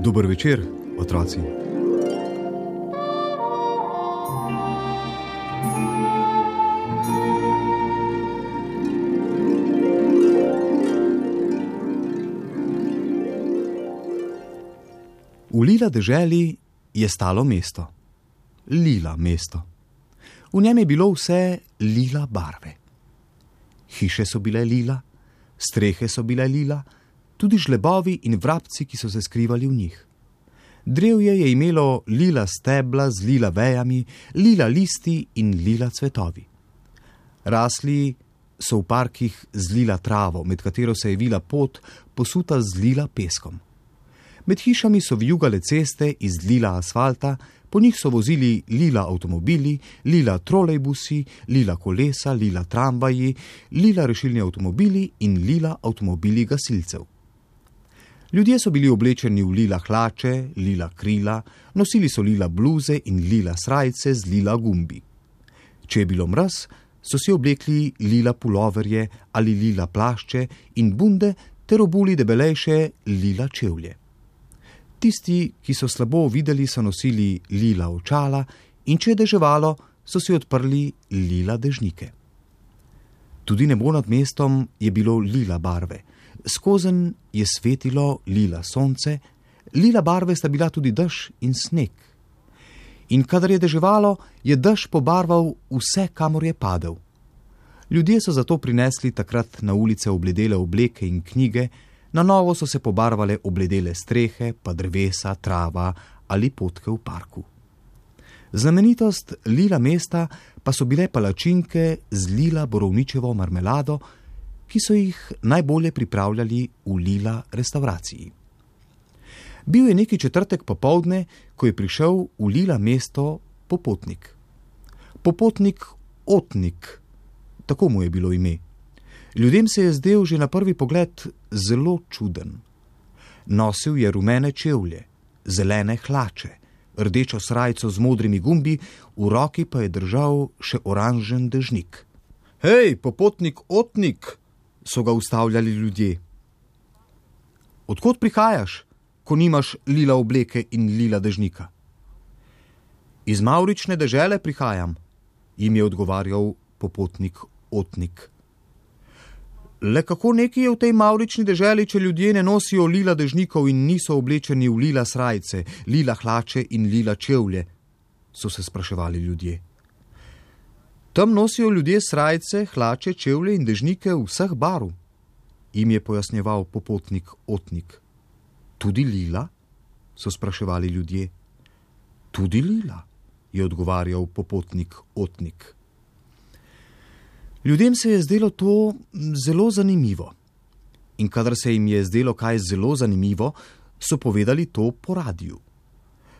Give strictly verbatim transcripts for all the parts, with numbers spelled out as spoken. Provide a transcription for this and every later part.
Dober večer, otroci. V lila deželi je stalo mesto. Lila mesto. V njem je bilo vse lila barve. Hiše so bile lila, strehe so bile lila, tudi žlebovi in vrabci, ki so se skrivali v njih. Drevje je imelo lila stebla z lila vejami, lila listi in lila cvetovi. Rasli so v parkih z lila travo, med katero se je vila pot, posuta z lila peskom. Med hišami so vijugale ceste iz lila asfalta, po njih so vozili lila avtomobili, lila trolejbusi, lila kolesa, lila tramvaji, lila rešilni avtomobili in lila avtomobili gasilcev. Ljudje so bili oblečeni v lila hlače, lila krila, nosili so lila bluze in lila srajce z lila gumbi. Če je bilo mraz, so si oblekli lila puloverje ali lila plašče in bunde ter obuli debelejše lila čevlje. Tisti, ki so slabo videli, so nosili lila očala in če je deževalo, so si odprli lila dežnike. Tudi nebo nad mestom je bilo lila barve. Skozenj je svetilo lila sonce, lila barve sta bila tudi dež in sneg. In kadar je deževalo, je dež pobarval vse, kamor je padel. Ljudje so zato prinesli takrat na ulice obledele obleke in knjige, na novo so se pobarvale obledele strehe, pa drevesa, trava ali potke v parku. Znamenitost lila mesta pa so bile palačinke z lila borovničevo marmelado, ki so jih najbolje pripravljali v lila restavraciji. Bil je neki četrtek popoldne, ko je prišel v lila mesto popotnik. Popotnik Otnik, tako mu je bilo ime. Ljudem se je zdel že na prvi pogled zelo čuden. Nosil je rumene čevlje, zelene hlače, rdečo srajco z modrimi gumbi, v roki pa je držal še oranžen dežnik. Hej, popotnik Otnik, so ga ustavljali ljudje. Odkot prihajaš, ko nimaš lila obleke in lila dežnika? Iz mavrične dežele prihajam, jim je odgovarjal popotnik Otnik. Le kako neki je v tej mavrični deželi, če ljudje ne nosijo lila dežnikov in niso oblečeni v lila srajce, lila hlače in lila čevlje, so se spraševali ljudje. Tam nosijo ljudje srajce, hlače, čevlje in dežnike vseh barv, jim je pojasnjeval popotnik Otnik. Tudi lila? So spraševali ljudje. Tudi lila, je odgovarjal popotnik Otnik. Ljudem se je zdelo to zelo zanimivo. In kadar se jim je zdelo kaj zelo zanimivo, so povedali to po radiju.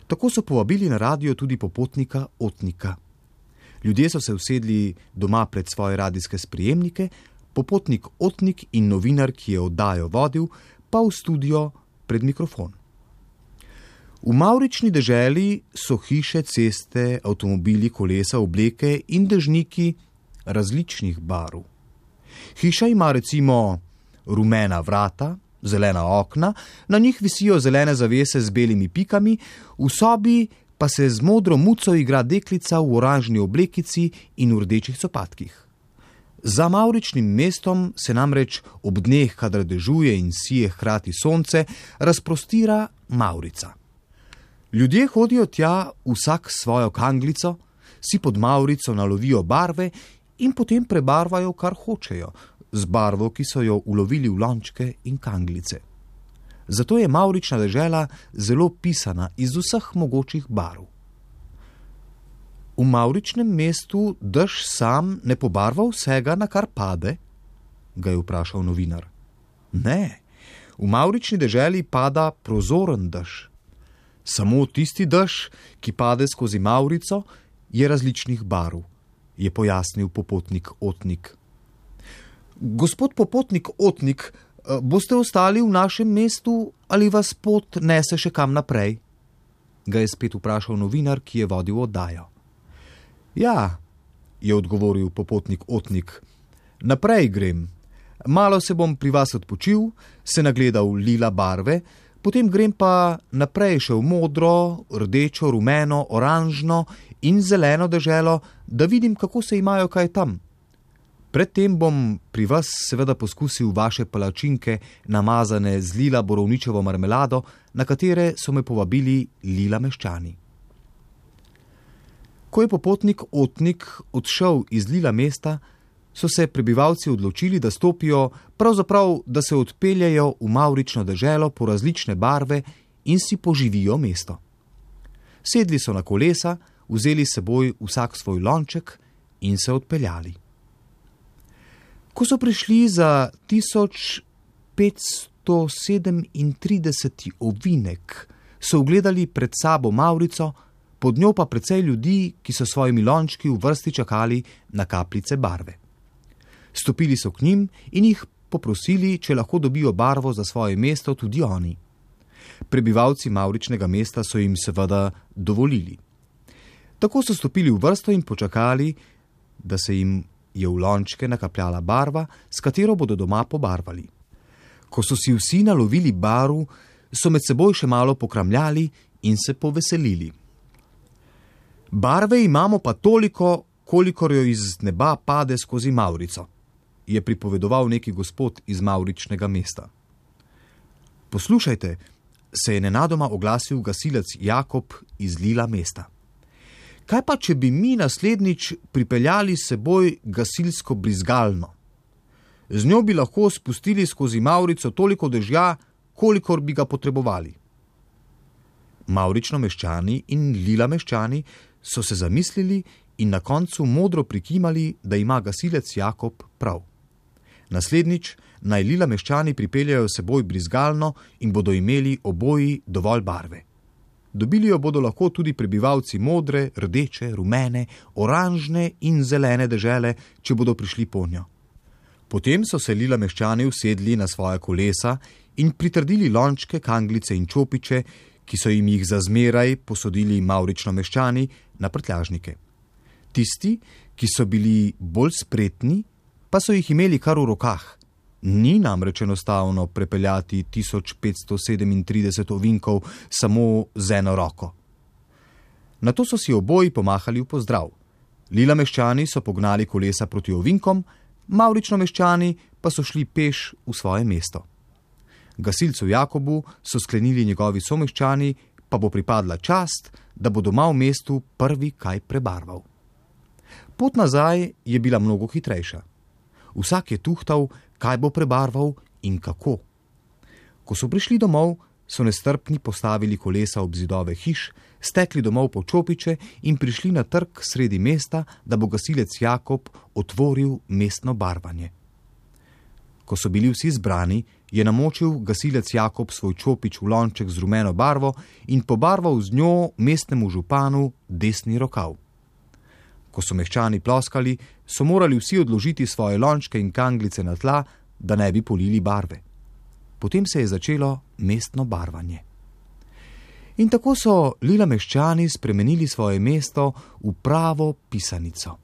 Tako so povabili na radio tudi popotnika Otnika. Ljudje so se usedli doma pred svoje radijske sprejemnike, popotnik Otnik in novinar, ki je oddajo vodil, pa v studio pred mikrofon. V mavrični deželi so hiše, ceste, avtomobili, kolesa, obleke in dežniki različnih barv. Hiša ima recimo rumena vrata, zelena okna, na njih visijo zelene zavese z belimi pikami, v sobi pa se z modro muco igra deklica v oranžni oblekici in v rdečih copatkih. Za mavričnim mestom se namreč ob dneh, kadar dežuje in sije hkrati sonce, razprostira mavrica. Ljudje hodijo tja vsak svojo kanglico, si pod mavrico nalovijo barve in potem prebarvajo, kar hočejo, z barvo, ki so jo ulovili v lončke in kanglice. Zato je mavrična dežela zelo pisana iz vseh mogočih barv. V mavričnem mestu dež sam ne pobarva vsega, na kar pade? Ga je vprašal novinar. Ne, v mavrični deželi pada prozoren dež. Samo tisti dež, ki pade skozi mavrico, je različnih barv, je pojasnil popotnik Otnik. Gospod popotnik Otnik, boste ostali v našem mestu ali vas pot nese še kam naprej? Ga je spet vprašal novinar, ki je vodil oddajo. Ja, je odgovoril popotnik Otnik, naprej grem. Malo se bom pri vas odpočil, se nagledal lila barve, potem grem pa naprej še v modro, rdečo, rumeno, oranžno in zeleno deželo, da vidim, kako se imajo kaj tam. Predtem bom pri vas seveda poskusil vaše palačinke, namazane z lila borovničevo marmelado, na katere so me povabili lila meščani. Ko je popotnik Otnik odšel iz lila mesta, so se prebivalci odločili, da stopijo, pravzaprav, da se odpeljajo v mavrično deželo po različne barve in si poživijo mesto. Sedli so na kolesa, vzeli s seboj vsak svoj lonček in se odpeljali. Ko so prišli za tisoč petsto sedemintrideseti ovinek, so ugledali pred sabo mavrico, pod njo pa precej ljudi, ki so svojimi lončki v vrsti čakali na kapljice barve. Stopili so k njim in jih poprosili, če lahko dobijo barvo za svoje mesto tudi oni. Prebivalci mavričnega mesta so jim seveda dovolili. Tako so stopili v vrsto in počakali, da se jim je v lončke nakapljala barva, s katero bodo doma pobarvali. Ko so si vsi nalovili barv, so med seboj še malo pokramljali in se poveselili. Barve imamo pa toliko, kolikor jo iz neba pade skozi mavrico, je pripovedoval neki gospod iz mavričnega mesta. Poslušajte, se je nenadoma oglasil gasilec Jakob iz lila mesta. Kaj pa, če bi mi naslednjič pripeljali s seboj gasilsko brizgalno? Z njo bi lahko spustili skozi mavrico toliko dežja, kolikor bi ga potrebovali. Mavrično meščani in lila meščani so se zamislili in na koncu modro prikimali, da ima gasilec Jakob prav. Naslednjič naj lila meščani pripeljajo s seboj brizgalno in bodo imeli oboji dovolj barve. Dobili jo bodo lahko tudi prebivalci modre, rdeče, rumene, oranžne in zelene dežele, če bodo prišli ponjo. Potem so se lila meščani usedli na svoja kolesa in pritrdili lončke, kanglice in čopiče, ki so jim jih za zmeraj posodili mavrično meščani, na prtljažnike. Tisti, ki so bili bolj spretni, pa so jih imeli kar v rokah. Ni namreč enostavno prepeljati tisoč petsto sedemintrideset ovinkov samo z eno roko. Nato so si oboji pomahali v pozdrav. Lila meščani so pognali kolesa proti ovinkom, mavrično meščani pa so šli peš v svoje mesto. Gasilcu Jakobu so sklenili njegovi someščani, pa bo pripadla čast, da bo doma v mestu prvi kaj prebarval. Pot nazaj je bila mnogo hitrejša. Vsak je tuhtal, kaj bo prebarval in kako. Ko so prišli domov, so nestrpni postavili kolesa ob zidove hiš, stekli domov po čopiče in prišli na trg sredi mesta, da bo gasilec Jakob otvoril mestno barvanje. Ko so bili vsi zbrani, je namočil gasilec Jakob svoj čopič v lonček z rumeno barvo in pobarval z njo mestnemu županu desni rokav. Ko so meščani ploskali, so morali vsi odložiti svoje lončke in kanglice na tla, da ne bi polili barve. Potem se je začelo mestno barvanje. In tako so lila meščani spremenili svoje mesto v pravo pisanico.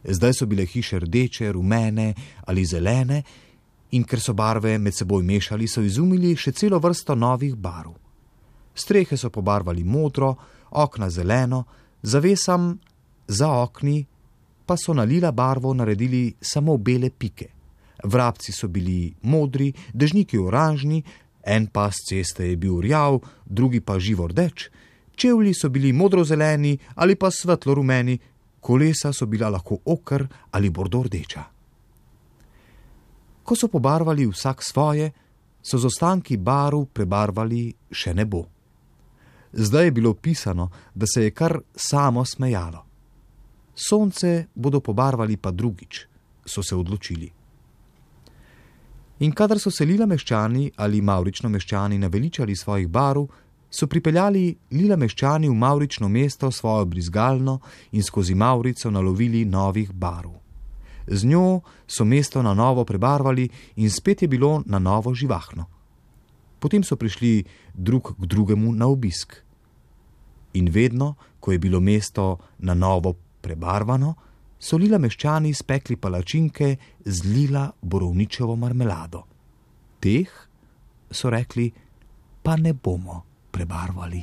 Zdaj so bile hiše rdeče, rumene ali zelene in ker so barve med seboj mešali, so izumili še celo vrsto novih barv. Strehe so pobarvali modro, okna zeleno, zavesam za okni pa so na lila barvo naredili samo bele pike. Vrabci so bili modri, dežniki oranžni, en pas ceste je bil rjav, drugi pa živo rdeč, čevlji so bili modrozeleni ali pa svetlo rumeni, kolesa so bila lahko oker ali bordo rdeča. Ko so pobarvali vsak svoje, so z ostanki barv prebarvali še nebo. Zdaj je bilo pisano, da se je kar samo smejalo. Sonce bodo pobarvali pa drugič, so se odločili. In kadar so se lila meščani ali mavrično meščani naveličali svojih barv, so pripeljali lila meščani v mavrično mesto svojo brizgalno in skozi mavrico nalovili novih barv. Z njo so mesto na novo prebarvali in spet je bilo na novo živahno. Potem so prišli drug k drugemu na obisk. In vedno, ko je bilo mesto na novo prebarvano, so lila meščani spekli palačinke z lila borovničevo marmelado. Teh, so rekli, pa ne bomo prebarvali.